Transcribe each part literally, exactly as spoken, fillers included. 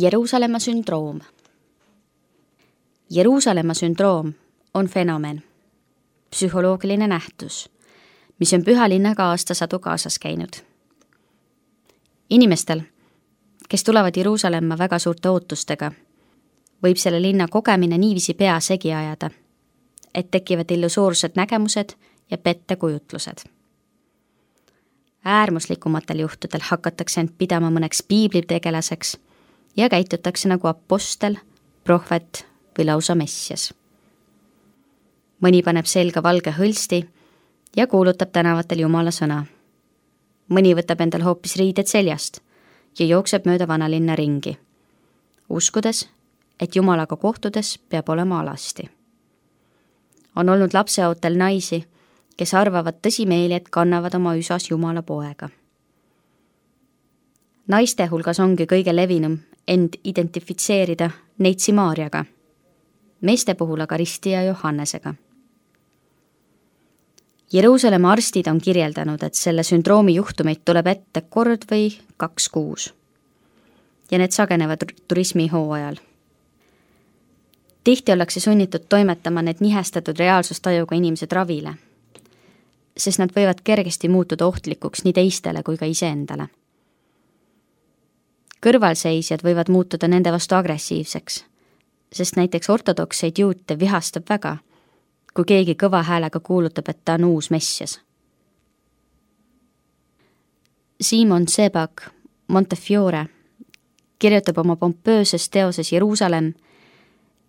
Jeruusalemma sündroom. Jeruusalemma sündroom on fenomen, psühholoogiline nähtus, mis on pühalinnaga aastasadu kaasas käinud. Inimestel, kes tulevad Jeruusalemma väga suurte ootustega, võib selle linna kogemine niiviisi pea segi ajada, et tekivad illusoorsed nägemused ja pettekujutlused. Äärmuslikumatel juhtudel hakatakse end pidama mõneks piiblitegelaseks ja käitutakse nagu apostel, prohvet või lausa messias. Mõni paneb selga valge hõlsti ja kuulutab tänavatel Jumala sõna. Mõni võtab endal hoopis riided seljast ja jookseb mööda vanalinna ringi, uskudes, et Jumalaga kohtudes peab olema alasti. On olnud lapseootel naisi, kes arvavad tõsimeeli, et kannavad oma üsas Jumala poega. Naiste hulgas ongi kõige levinum end identifitseerida Neitsi Maarjaga, meeste puhul aga Risti ja Johannesega. Jeruusalemma arstid on kirjeldanud, et selle sündroomi juhtumeid tuleb ette kord või kaks kuus ja need sagenevad turismi hooajal. Tihti ollakse sunnitud toimetama need nihestatud reaalsustajuga inimesed ravile, sest nad võivad kergesti muutuda ohtlikuks nii teistele kui ka iseendale. Kõrvalseisjad võivad muutuda nende vastu agressiivseks, sest näiteks ortodokseid juute vihastab väga, kui keegi kõva häälega kuulutab, et ta on uus messias. Simon Sebag Montefiore kirjutab oma pompööses teoses Jeruusalemm,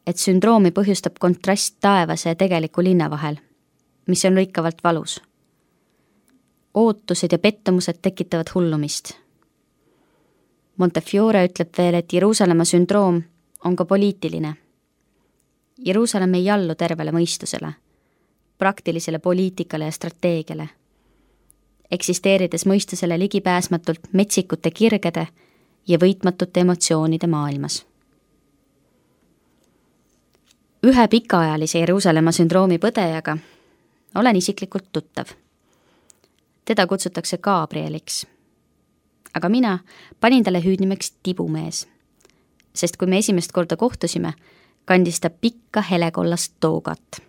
et sündroomi põhjustab kontrast taevase ja tegeliku linna vahel, mis on lõikavalt valus. Ootused ja pettumused tekitavad hullumist. Montefiore ütleb veel, et Jeruusalemma sündroom on ka poliitiline. Jeruusalemm ei allu tervele mõistusele, praktilisele poliitikale ja strateegiale, eksisteerides mõistusele ligipääsmatult metsikute kirgede ja võitmatute emotsioonide maailmas. Ühe pikaajalise Jeruusalemma sündroomi põdejaga olen isiklikult tuttav. Teda kutsutakse Gabrieliks, aga mina panin talle hüüdnimeks Tibumees, sest kui me esimest korda kohtusime, kandis ta pikka helekollast toogat.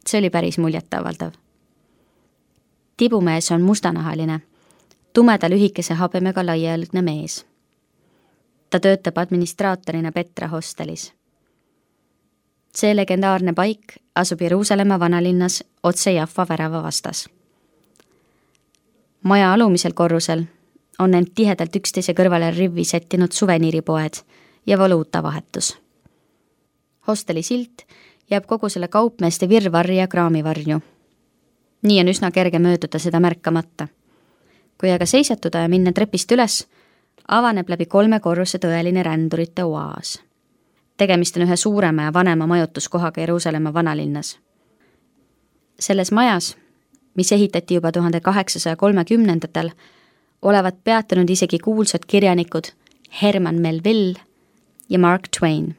See oli päris muljetavaldav. Tibumees on mustanahaline, tumeda lühikese habemega laiajalgne mees. Ta töötab administraatorina Petra hostelis. See legendaarne paik asub Jeruusalemma vanalinnas otse Jaffa värava vastas. Maja alumisel korrusel on end tihedalt üksteise kõrvale rivvi sättinud suveniiripoed ja valuutavahetus. Hosteli silt jääb kogu selle kaupmeeste virvarri ja kraamivarju. Nii on üsna kerge mööduda seda märkamata. Kui aga seisatuda ja minna trepist üles, avaneb läbi kolme korruse tõeline rändurite oaas. Tegemist on ühe suurema ja vanema majutuskohaga Jeruusalemma vanalinnas. Selles majas, mis ehitati juba tuhande kaheksasaja kolmekümnendatel, olevat peatunud isegi kuulsad kirjanikud Herman Melville ja Mark Twain.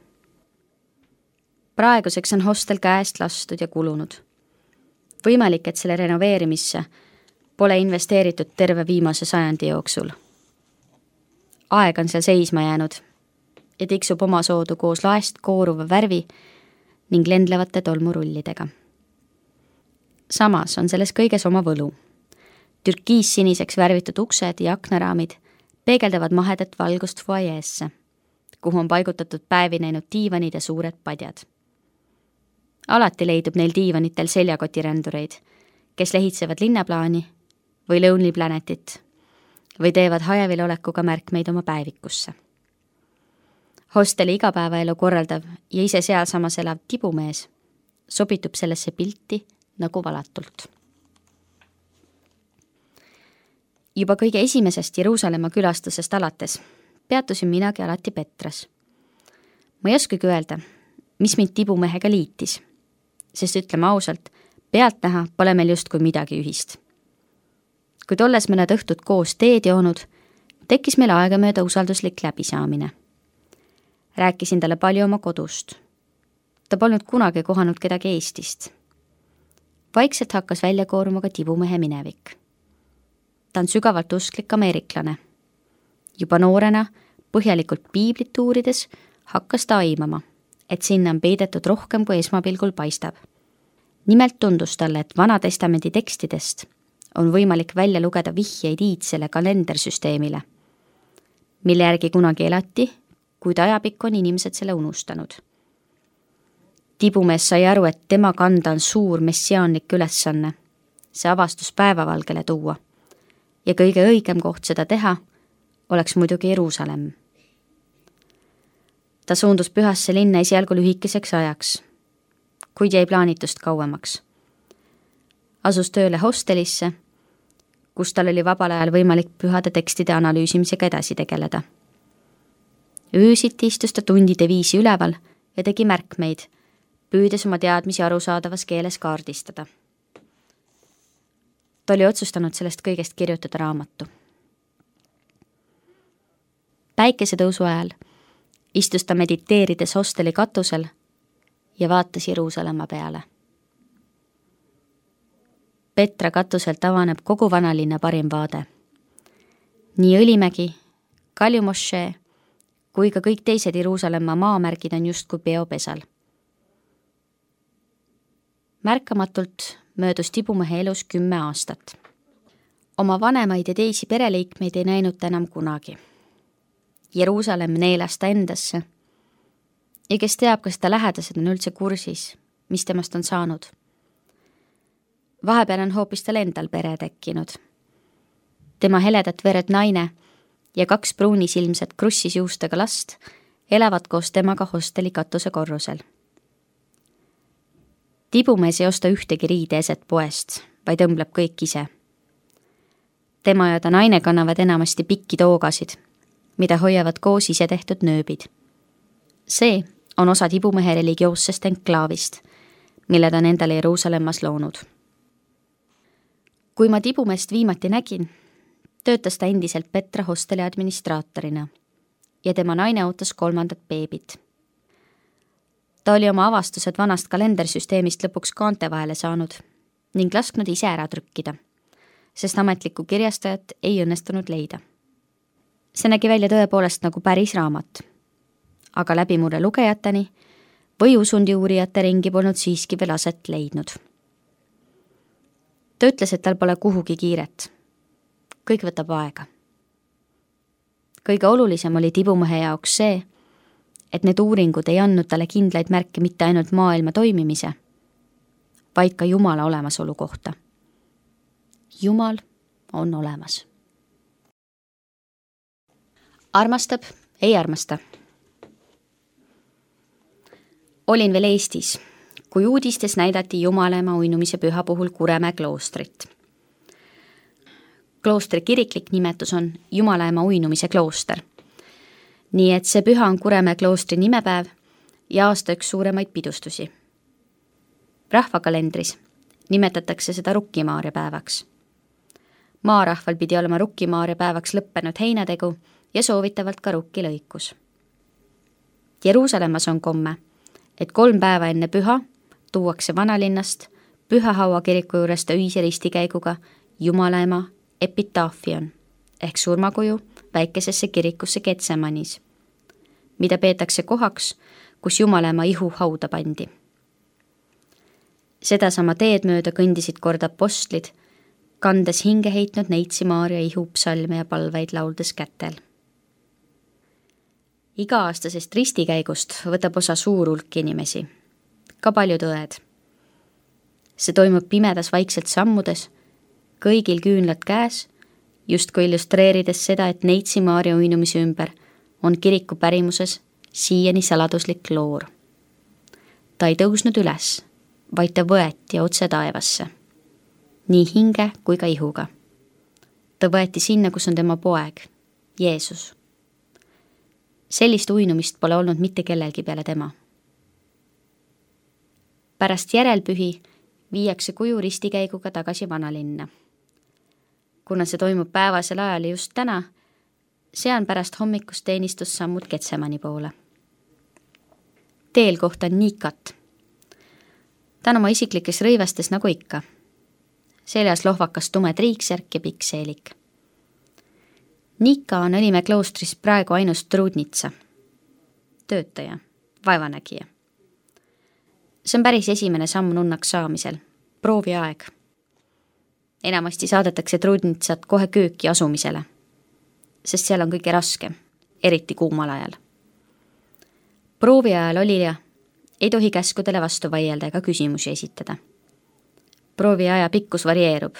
Praeguseks on hostel käest lastud ja kulunud. Võimalik, et selle renoveerimisse pole investeeritud terve viimase sajandi jooksul. Aeg on seal seisma jäänud ja tiksub oma soodu koos laest kooruva värvi ning lendlevate tolmurullidega. Samas on selles kõiges oma võlu. Türkiis siniseks värvitud uksed ja aknaraamid peegeldavad mahedat valgust foajeesse, kuhu on paigutatud päevi näinud diivanid ja suured padjad. Alati leidub neil diivanitel seljakotirändureid, kes lehitsevad linnaplaani või Lonely Planetit või teevad hajevil olekuga märkmeid oma päevikusse. Hosteli igapäevaelu korraldav ja ise sealsamas elav Tibumees sobitub sellesse pilti nagu valatult. Juba kõige esimesest Jeruusalemma külastusest alates peatusin minagi alati Petras. Ma ei oskagi öelda, mis mind Tibumehega liitis, sest ütleme ausalt, pealt näha pole meil justkui midagi ühist. Kui tolles mõned õhtud koos teed joonud, tekkis meil aegamööda usalduslik läbisaamine. Rääkisin talle palju oma kodust. Ta polnud kunagi kohanud kedagi Eestist. Vaikselt hakkas välja kooruma ka Tibumehe minevik. Ta on sügavalt usklik ameeriklane. Juba noorena põhjalikult piiblit uurides hakkas ta aimama, et sinna on peidetud rohkem kui esmapilgul paistab. Nimelt tundus talle, et Vana Testamendi tekstidest on võimalik välja lugeda vihjeid iidsele kalendersüsteemile, mille järgi kunagi elati, kuid ajapikku on inimesed selle unustanud. Tibumees sai aru, et tema kanda on suur messiaanlik ülesanne, see avastus päevavalgele tuua, ja kõige õigem koht seda teha oleks muidugi Jeruusalemm. Ta suundus pühasse linna esialgu lühikeseks ajaks, kuid jäi plaanitust kauemaks. Asus tööle hostelisse, kus tal oli vabal ajal võimalik pühade tekstide analüüsimisega edasi tegeleda. Öösiti istus ta tundide viisi üleval ja tegi märkmeid, püüdes oma teadmisi arusaadavas keeles kaardistada. Ta oli otsustanud sellest kõigest kirjutada raamatu. Päikesetõusu ajal istus ta mediteerides hosteli katusel ja vaatas Jeruusalemma peale. Petra katuselt avaneb kogu vanalinna parim vaade. Nii Õlimägi, Kaljumošee kui ka kõik teised Jeruusalemma maamärgid on justkui peopesal. Märkamatult möödus Tibumehe elus kümme aastat. Oma vanemaid ja teisi pereliikmeid ei näinud ta enam kunagi. Jeruusalemm neelas ta endasse ja kes teab, kas ta lähedased on üldse kursis, mis temast on saanud. Vahepeal on hoopis tal endal pere tekkinud. Tema heledat verd naine ja kaks pruunisilmset krussis juustega last elavad koos temaga hosteli katuse korrusel. Tibumees ei osta ühtegi riide eset poest, vaid õmbleb kõik ise. Tema ja ta naine kannavad enamasti pikki toogasid, mida hoiavad koos ise tehtud nööbid. See on osa Tibumehe religioossest enklaavist, mille ta on endale Jeruusalemmas loonud. Kui ma Tibumeest viimati nägin, töötas ta endiselt Petra hosteli administraatorina ja tema naine ootas kolmandat beebit. Ta oli oma avastused vanast kalendersüsteemist lõpuks kaante vahele saanud ning lasknud ise ära trükkida, sest ametlikku kirjastajat ei õnnestunud leida. See nägi välja tõepoolest nagu päris raamat, aga läbimurre lugejateni või usundi uurijate ringi polnud siiski veel aset leidnud. Ta ütles, et tal pole kuhugi kiiret. Kõik võtab aega. Kõige olulisem oli Tibumehe jaoks see, et need uuringud ei andnud talle kindlaid märke mitte ainult maailma toimimise, vaid ka Jumala olemasolu kohta. Jumal on olemas. Armastab, ei armasta. Olin veel Eestis, kui uudistes näidati Jumalaema uinumise püha puhul Kuremäe kloostrit. Kloostri kiriklik nimetus on Jumalaema uinumise klooster, nii et see püha on Kuremäe kloostri nimepäev ja aasta üks suuremaid pidustusi. Rahvakalendris nimetatakse seda Rukkimaaria päevaks. Maarahval pidi olema Rukkimaaria päevaks lõppenud heinategu ja soovitavalt ka rukkilõikus. Jeruusalemmas on komme, et kolm päeva enne püha tuuakse vanalinnast Pühahaua kiriku juurest öise ristikäiguga Jumalaema epitaafion ehk surmakuju väikesesse kirikusse Getsemanis, mida peetakse kohaks, kus Jumalaema ihu hauda pandi. Sedasama teed mööda kõndisid kord apostlid, kandes hinge heitnud neitsi Maaria ihu psalme ja palveid lauldes kätel. Iga-aastasest ristikäigust võtab osa suur hulk inimesi, ka paljud õed. See toimub pimedas vaikselt sammudes, kõigil küünlad käes, justkui illustreerides seda, et neitsi Maaria uinumise ümber on kiriku pärimuses siiani saladuslik loor. Ta ei tõusnud üles, vaid ta võeti otse taevasse, nii hinge kui ka ihuga. Ta võeti sinna, kus on tema poeg, Jeesus. Sellist uinumist pole olnud mitte kellelgi peale tema. Pärast järelpühi viiakse kuju ristikäiguga tagasi vanalinna. Kuna see toimub päevasel ajal just täna, sean pärast hommikust teenistus sammud Getsemani poole. Teel kohtan Nikat. Ta on oma isiklikes rõivastes nagu ikka. Seljas lohvakas tume triiksärk ja pikk seelik. Nika on Õlimäe kloostris praegu ainus trudnitsa, töötaja, vaevanägija. See on päris esimene samm nunnaks saamisel, prooviaeg. Enamasti saadetakse trudnitsat kohe kööki asumisele, sest seal on kõige raskem, eriti kuumal ajal. Proovi ajal olija ei tohi käskudele vastu vaielda ega küsimusi esitada. Proovi aja pikkus varieerub.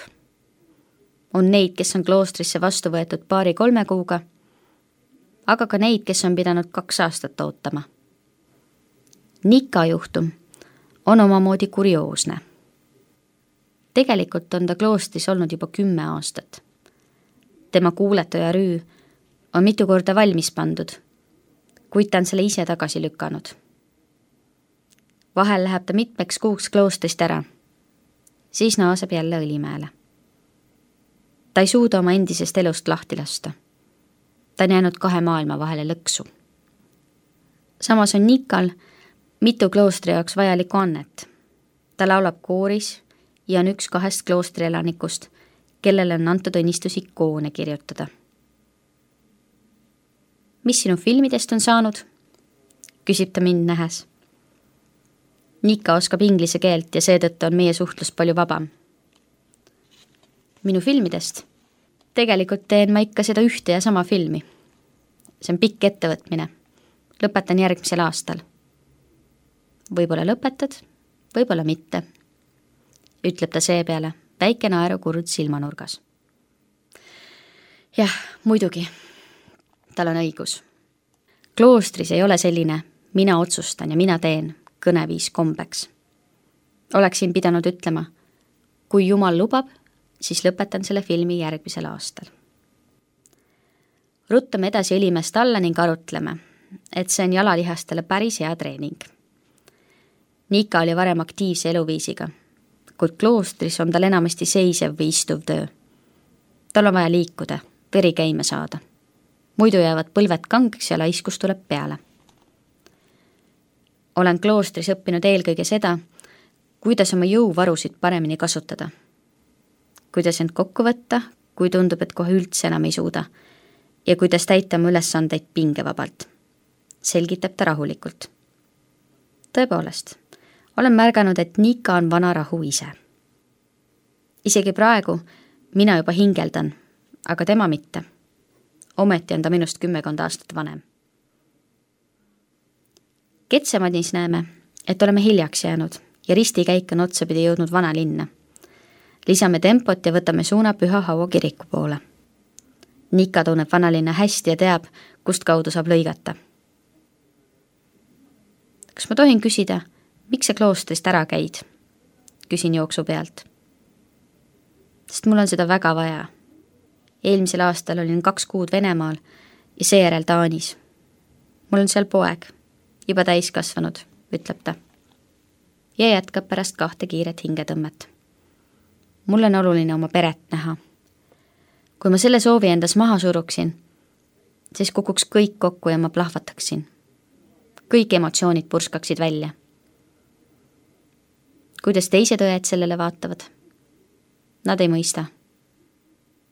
On neid, kes on kloostrisse vastu võetud paari-kolme kuuga, aga ka neid, kes on pidanud kaks aastat ootama. Nika juhtum on omamoodi kurioosne. Tegelikult on ta kloostris olnud juba kümme aastat. Tema kuuletu ja rüü on mitu korda valmis pandud, kuid ta on selle ise tagasi lükanud. Vahel läheb ta mitmeks kuuks kloostrist ära, siis naaseb jälle Õlimäele. Ta ei suuda oma endisest elust lahti lasta. Ta on jäänud kahe maailma vahele lõksu. Samas on Nikal mitu kloostri jaoks vajalikku annet. Ta laulab kooris ja on üks kahest kloostri elanikust, kellele on antud õnnistus ikoone kirjutada. Mis sinu filmidest on saanud? Küsib ta mind nähes. Nika oskab inglise keelt ja seetõttu on meie suhtlus palju vabam. Minu filmidest? Tegelikult teen ma ikka seda ühte ja sama filmi. See on pikk ettevõtmine. Lõpetan järgmisel aastal. Võib-olla lõpetad, võib-olla mitte, ütleb ta seepeale, väike naeru kurd silmanurgas. Jah, muidugi. Tal on õigus. Kloostris ei ole selline mina otsustan ja mina teen kõneviis kombeks. Oleksin pidanud ütlema, kui Jumal lubab, siis lõpetan selle filmi järgmisel aastal. Ruttame edasi Õlimäest alla ning arutleme, et see on jalalihastele päris hea treening. Nika oli varem aktiivse eluviisiga, kuid kloostris on tal enamasti seisev või istuv töö. Tal on vaja liikuda, veri käima saada. Muidu jäävad põlved kangeks ja laiskus tuleb peale. Olen kloostris õppinud eelkõige seda, kuidas oma jõuvarusid paremini kasutada. Kuidas end kokku võtta, kui tundub, et kohe üldse enam ei suuda, ja kuidas täita oma ülesandeid pingevabalt. Selgitab ta rahulikult. Tõepoolest, olen märganud, et Nika on vana rahu ise. Isegi praegu mina juba hingeldan, aga tema mitte. Ometi on ta minust kümmekond aastat vanem. Ketsemadis näeme, et oleme hiljaks jäänud ja ristikäik on otsapidi jõudnud vana linna. Lisame tempot ja võtame suuna Püha Haua kiriku poole. Nika tunneb vanalinna hästi ja teab, kust kaudu saab lõigata. Kas ma tohin küsida, miks sa kloostrist ära käid? Küsin jooksu pealt. Sest mul on seda väga vaja. Eelmisel aastal olin kaks kuud Venemaal ja seejärel Taanis. Mul on seal poeg, juba täis kasvanud, ütleb ta. Ja jätkab pärast kahte kiiret hingetõmmet. Mul on oluline oma peret näha. Kui ma selle soovi endas maha suruksin, siis kukuks kõik kokku ja ma plahvataksin. Kõik emotsioonid purskaksid välja. Kuidas teised õed sellele vaatavad? Nad ei mõista.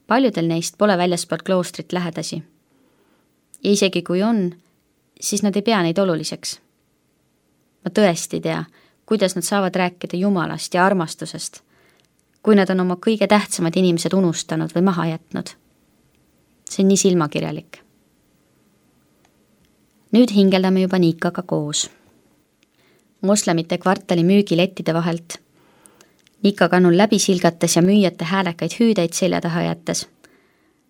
Paljudel neist pole väljaspoolt kloostrit lähedasi. Ja isegi kui on, siis nad ei pea neid oluliseks. Ma tõesti tea, kuidas nad saavad rääkida Jumalast ja armastusest, kui nad on oma kõige tähtsamad inimesed unustanud või maha jätnud. See on nii silmakirjalik. Nüüd hingeldame juba Nikaga koos. Moslemite kvartali müügilettide vahelt. Nika kannul läbi silgates ja müüjate häälekaid hüüdeid selja taha jättes.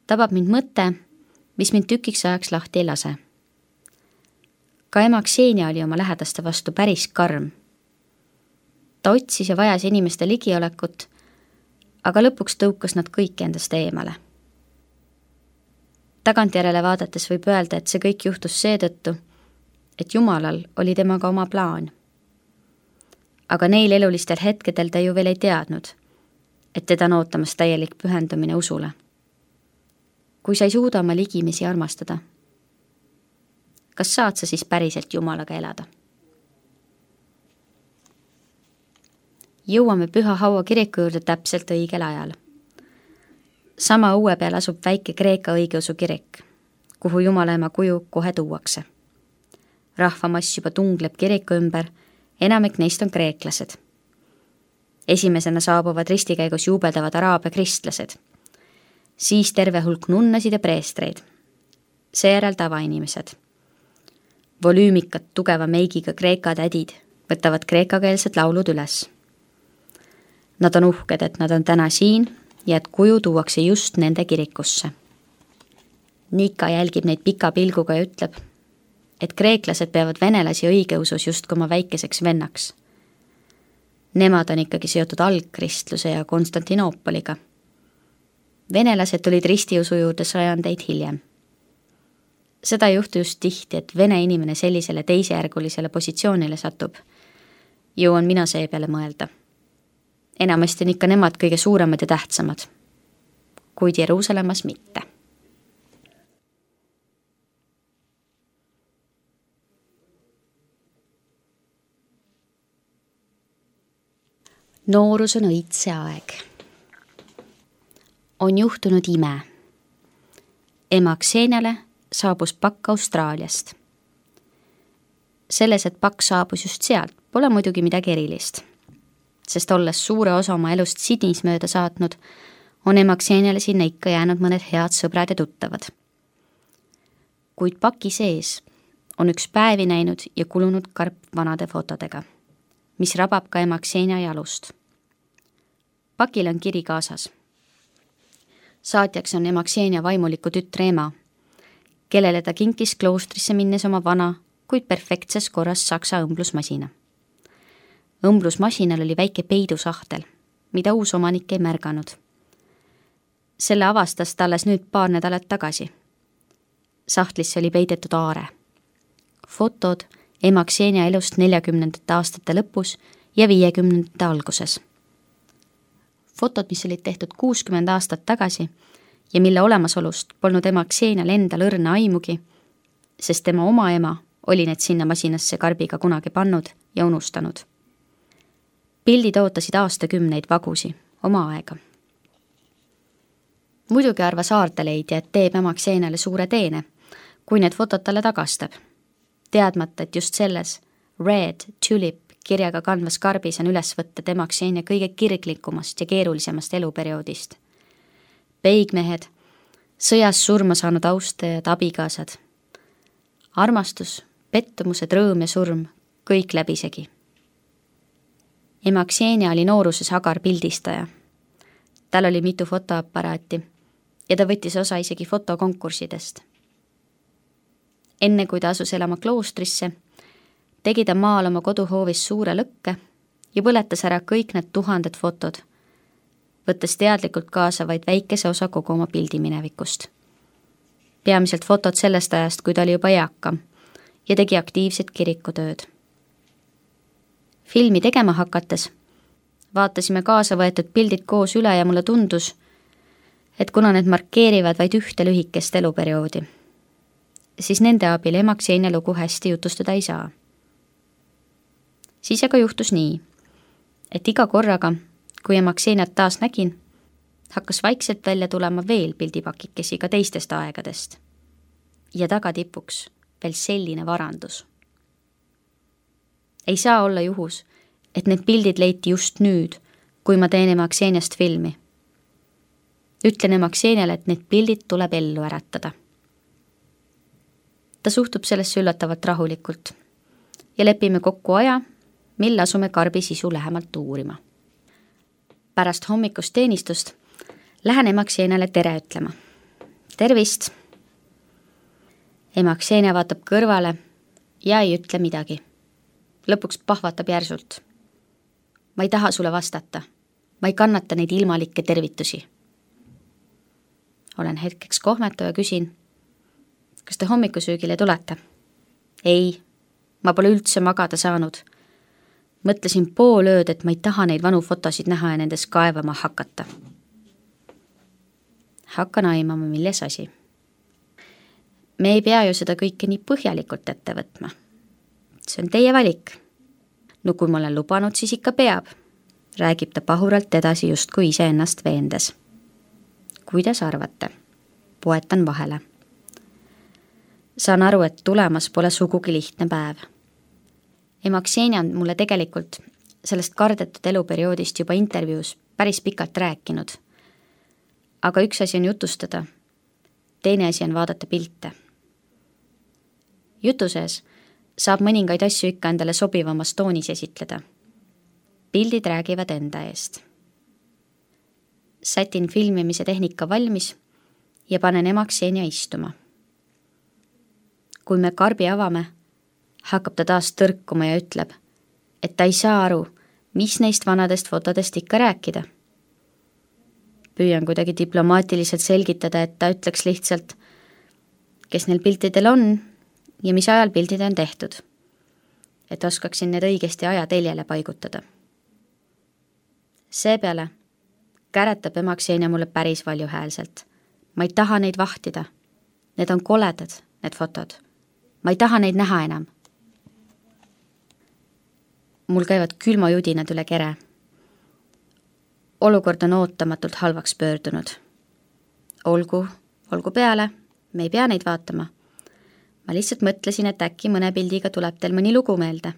Tabab mind mõte, mis mind tükiks ajaks lahti ei lase. Ka ema Ksenia oli oma lähedaste vastu päris karm. Ta otsis ja vajas inimeste ligiolekut, aga lõpuks tõukas nad kõik endast eemale. Tagantjärele vaadates võib öelda, et see kõik juhtus seetõttu, et Jumalal oli temaga oma plaan. Aga neil elulistel hetkedel ta ju veel ei teadnud, et teda on ootamas täielik pühendumine usule. Kui sa ei suuda oma ligimisi armastada, kas saad sa siis päriselt Jumalaga elada? Jõuame Püha Haua kiriku juurde täpselt õigel ajal. Sama õue peal asub väike Kreeka õigeusu kirik, kuhu Jumalaema kuju kohe tuuakse. Rahvamass juba tungleb kiriku ümber, enamik neist on kreeklased. Esimesena saabuvad ristikäigus juubeldavad araabia kristlased, siis terve hulk nunnasid ja preestreid, seejärel tavainimesed. Volüümikad tugeva meigiga kreeka tädid võtavad kreekakeelsed laulud üles. Nad on uhked, et nad on täna siin ja et kuju tuuakse just nende kirikusse. Nika jälgib neid pika pilguga ja ütleb, et kreeklased peavad venelasi õigeusus just oma väikeseks vennaks. Nemad on ikkagi seotud algkristluse ja Konstantinoopoliga. Venelased tulid ristiusu juurde sajandeid hiljem. Seda ei juhtu just tihti, et vene inimene sellisele teisejärgulisele positsioonile satub. Jõuan mina see peale mõelda. Enamasti on ikka nemad kõige suuremad ja tähtsamad, kuid Jeruusalemmas mitte. Noorus on õitse aeg. On juhtunud ime. Ema Kseniale saabus pakk Austraaliast. Selles, et pakk saabus just sealt, pole muidugi midagi erilist, sest olles suure osa oma elust Sydneys mööda saatnud, on ema Kseniale sinna ikka jäänud mõned head sõbrad ja tuttavad. Kuid paki sees on üks päevi näinud ja kulunud karp vanade fotodega, mis rabab ka ema Ksenia jalust. Pakil on kiri kaasas. Saatjaks on ema Ksenia vaimuliku tütre ema, kellele ta kinkis kloostrisse minnes oma vana, kuid perfektses korras saksa õmblusmasina. Õmblusmasinal oli väike peidusahtel, mida uus omanik ei märganud. Selle avastas ta alles nüüd paar nädalat tagasi. Sahtlisse oli peidetud aare. Fotod ema Ksenia elust neljakümnendate aastate lõpus ja viiekümnendate alguses. Fotod, mis olid tehtud kuuskümmend aastat tagasi ja mille olemasolust polnud ema Ksenial endal õrna aimugi, sest tema oma ema oli need sinna masinasse karbiga kunagi pannud ja unustanud. Pildid ootasid aastakümneid vagusi, oma aega. Muidugi arvas aardeleidja, et teeb ema Kseniale suure teene, kui need fotod talle tagastab, teadmata, et just selles Red Tulip kirjaga kandvas karbis on üles võtta ema Ksenia kõige kirglikumast ja keerulisemast eluperioodist. Peigmehed, sõjas surma saanud austajad, abikaasad. Armastus, pettumused, rõõm ja surm, kõik läbisegi. Ema Ksenia oli nooruses agar pildistaja. Tal oli mitu fotoaparaati ja ta võttis osa isegi fotokonkurssidest. Enne kui ta asus elama kloostrisse, tegi ta maal oma koduhoovis suure lõkke ja põletas ära kõik need tuhanded fotod, võttes teadlikult kaasa vaid väikese osa kogu oma pildiminevikust. Peamiselt fotod sellest ajast, kui ta oli juba eakam ja tegi aktiivset kirikutööd. Filmi tegema hakates vaatasime kaasa võetud pildid koos üle ja mulle tundus, et kuna need markeerivad vaid ühte lühikest eluperioodi, siis nende abil ema Ksenia lugu hästi jutustada ei saa. Siis aga juhtus nii, et iga korraga, kui ema Kseniat taas nägin, hakkas vaikselt välja tulema veel pildipakikesi ka teistest aegadest. Ja tagatipuks veel selline varandus. Ei saa olla juhus, et need pildid leiti just nüüd, kui ma teen ema Kseniast filmi. Ütlen ema Kseniale, et need pildid tuleb ellu äratada. Ta suhtub sellesse üllatavalt rahulikult ja lepime kokku aja, mil asume karbi sisu lähemalt uurima. Pärast hommikust teenistust lähen ema Kseniale tere ütlema. Tervist! Ema Ksenia vaatab kõrvale ja ei ütle midagi. Lõpuks pahvatab järsult. Ma ei taha sulle vastata. Ma ei kannata neid ilmalikke tervitusi. Olen hetkeks kohmetu ja küsin, kas te hommikusöögile tulete? Ei, ma pole üldse magada saanud. Mõtlesin pool ööd, et ma ei taha neid vanu fotosid näha ja nendes kaevama hakata. Hakkan aimama, milles asi. Me ei pea ju seda kõike nii põhjalikult ette võtma. See on teie valik. No kui ma olen lubanud, siis ikka peab. Räägib ta pahuralt edasi just kui ise ennast veendes. kuidas arvate? Poetan vahele. Saan aru, et tulemas pole sugugi lihtne päev. Ema Ksenia on mulle tegelikult sellest kardetud eluperioodist juba intervjuus päris pikalt rääkinud. Aga üks asi on jutustada, teine asi on vaadata pilte. Jutu sees saab mõningaid asju ikka endale sobivamas toonis esitleda. Pildid räägivad enda eest. Sätin filmimise tehnika valmis ja panen ema Ksenia istuma. Kui me karbi avame, hakkab ta taas tõrkuma ja ütleb, et ta ei saa aru, mis neist vanadest fotodest ikka rääkida. Püüan kuidagi diplomaatiliselt selgitada, et ta ütleks lihtsalt, kes neil piltidel on ja mis ajal pildid on tehtud, et oskaksin need õigesti ajateljele paigutada. Seepeale käretab ema Ksenia mulle päris valjuhäälselt. Ma ei taha neid vahtida. Need on koledad, need fotod. Ma ei taha neid näha enam. Mul käivad külmajudinad üle kere. Olukord on ootamatult halvaks pöördunud. Olgu, olgu peale, me ei pea neid vaatama. Ma lihtsalt mõtlesin, et äkki mõne pildiga tuleb teil mõni lugu meelde.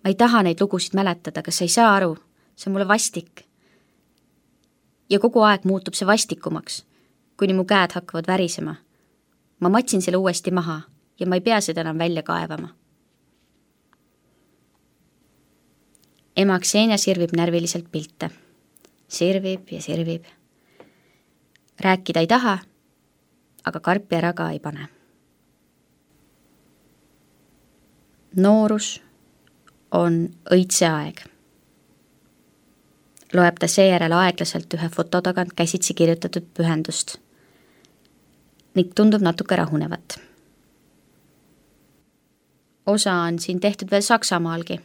Ma ei taha neid lugusid mäletada, kas sa ei saa aru? See on mulle vastik. Ja kogu aeg muutub see vastikumaks, kuni mu käed hakkavad värisema. Ma matsin selle uuesti maha ja ma ei pea seda enam välja kaevama. Ema Ksenia sirvib närviliselt pilte. Sirvib ja sirvib. Rääkida ei taha, aga karpi ära ka ei pane. Noorus on õitse aeg. Loeb ta seejärel aeglaselt ühe foto tagant käsitsi kirjutatud pühendust ning tundub natuke rahunevat. Osa on siin tehtud veel Saksamaalgi.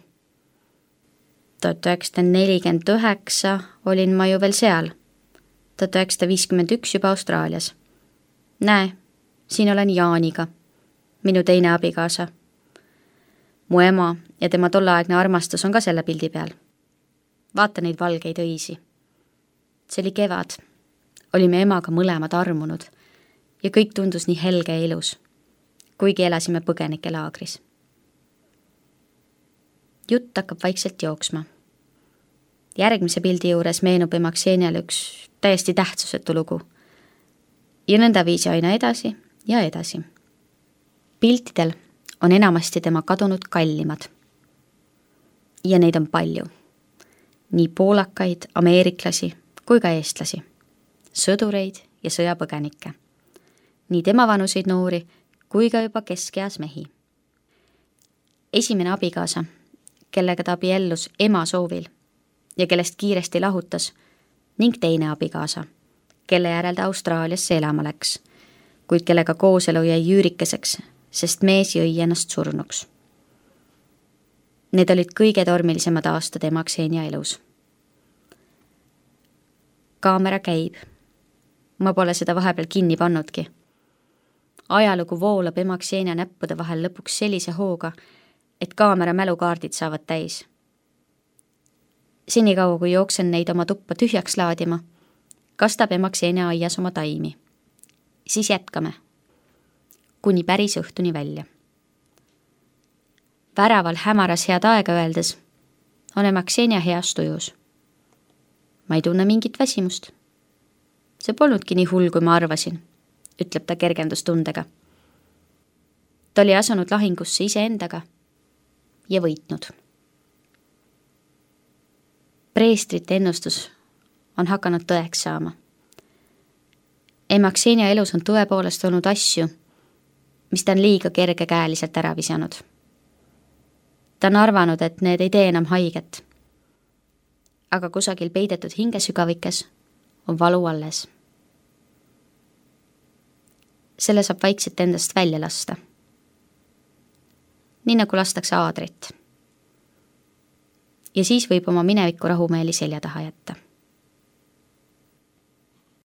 tuhat üheksasada nelikümmend üheksa olin ma ju veel seal. tuhat üheksasada viiskümmend üks juba Austraalias. Näe, siin olen Jaaniga, minu teine abikaasa. Mu ema ja tema tolleaegne armastus on ka selle pildi peal. Vaata neid valgeid õisi. See oli kevad. Olime emaga mõlemad armunud ja kõik tundus nii helge ja ilus, kuigi elasime põgenike laagris. Jutt hakkab vaikselt jooksma. Järgmise pildi juures meenub ema Kseniale üks täiesti tähtsusetu lugu. Ja nõnda viisi aina edasi ja edasi. Piltidel on enamasti tema kadunud kallimad. Ja neid on palju. Nii poolakaid, ameeriklasi kui ka eestlasi, sõdureid ja sõjapõgenikke. Nii tema vanuseid noori kui ka juba keskeas mehi. Esimene abikaasa, kellega ta abiellus ema soovil ja kellest kiiresti lahutas, ning teine abikaasa, kelle järel ta Austraaliasse elama läks, kuid kellega kooselu jäi üürikeseks, sest mees jõi ennast surnuks. Need olid kõige tormilisemad aastad ema Ksenia elus. Kaamera käib. Ma pole seda vahepeal kinni pannudki. Ajalugu voolab ema Ksenia näppude vahel lõpuks sellise hooga, et kaamera mälukaardid saavad täis. Senikaua, kui jooksen neid oma tuppa tühjaks laadima, kastab ema Ksenia aias oma taimi. Siis jätkame. Kuni päris õhtuni välja. Väraval hämaras head aega öeldes on ema Ksenia heas tujus. Ma ei tunne mingit väsimust. See polnudki nii hull, kui ma arvasin, ütleb ta kergendustundega. Ta oli asunud lahingusse iseendaga ja võitnud. Preestrite ennustus on hakanud tõeks saama. Ema Ksenia elus on tõepoolest olnud asju, mis ta on liiga kergekäeliselt ära visanud. Ta on arvanud, et need ei tee enam haiget. Aga kusagil peidetud hingesügavikes on valu alles. Selle saab vaikselt endast välja lasta. Nii nagu lastakse aadrit. Ja siis võib oma mineviku rahumeeli selja taha jätta.